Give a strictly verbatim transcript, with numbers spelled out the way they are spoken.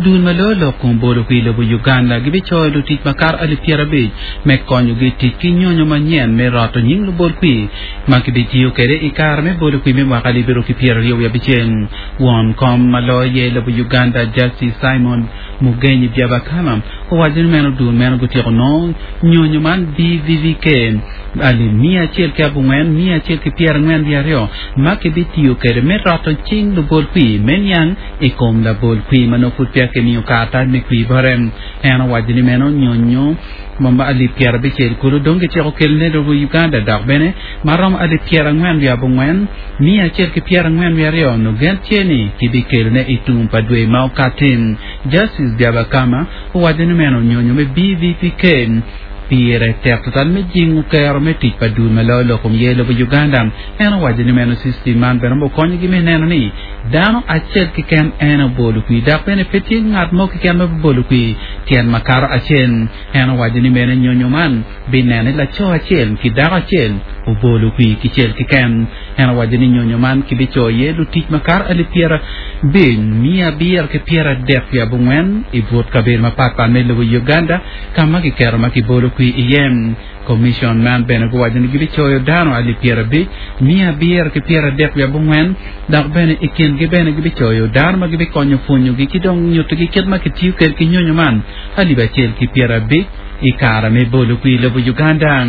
Dul ma loyo lok kom bolo kwir i lobo Uganda gibicoyo lutic makato alip pyerabic me konyogi tic ki nyonyo manyen me roto nying lubol kwir ma kibitiyo kwede i kare me bolo kwir me mwaka alip aryo ki pyeraryo wiye abicel. Won kom ma loyo ye i lobo Uganda Justice Simon Mugenyi Byabakama owaco ni meno dul meno gutyeko nongo nyonyo man B V V K alip miya acel ki abongwen miya acel ki pyerangwen wiye aryo ma kibitiyo kwede me roto cing lubol kwir me niang i kom labol kwir ma nongo pud peya kimiyo karatac me kwir bote. En owaco ni meno nyonyo ma alip pyerabicel kulu dong gityeko kelone i lobo Uganda, dok bene ma romo alip pyerangwen wiye abongwen miya acel ki pyerangwen wiye aryo nongo gen tye ni kibikelone i tum pa dwe ma okati. Justice Byabakama owaco ni meno nyonyo me B V P K pire tek tutwal me jingo kero me tic pa dul ma loyo lok kom ye i lobo Uganda. En owaco ni meno system man bene okonyogi me neno ni dano acel keken en obolo kwir, dok bene pe tye ngat mo keken ma bibolo kwir tyen makato acel. En owaco ni meno nyonyo man bineno ni laco acel ki dako acel obolo kwir kicel keken. En owaco ni nyonyo man kibicoyo iye lutic makato alip pyerabic miya abiro ki pyeradek wiye abongwen i but kabedo mapatpat me lobo Uganda ka ma kiketo ma kibolo kwir iye. Commission man bene guwaco ni gibicoyo dano alip pyerabic miya abiro ki pyeradek wiye abongwen, dok bene i kingi bene gibicoyo dano ma gibikonyo pwonyogi ki dong nyutogi kit ma kitiyo kwede ki nyonyo man alip acel ki pyerabic i kare me bolo kwir i lobo Uganda.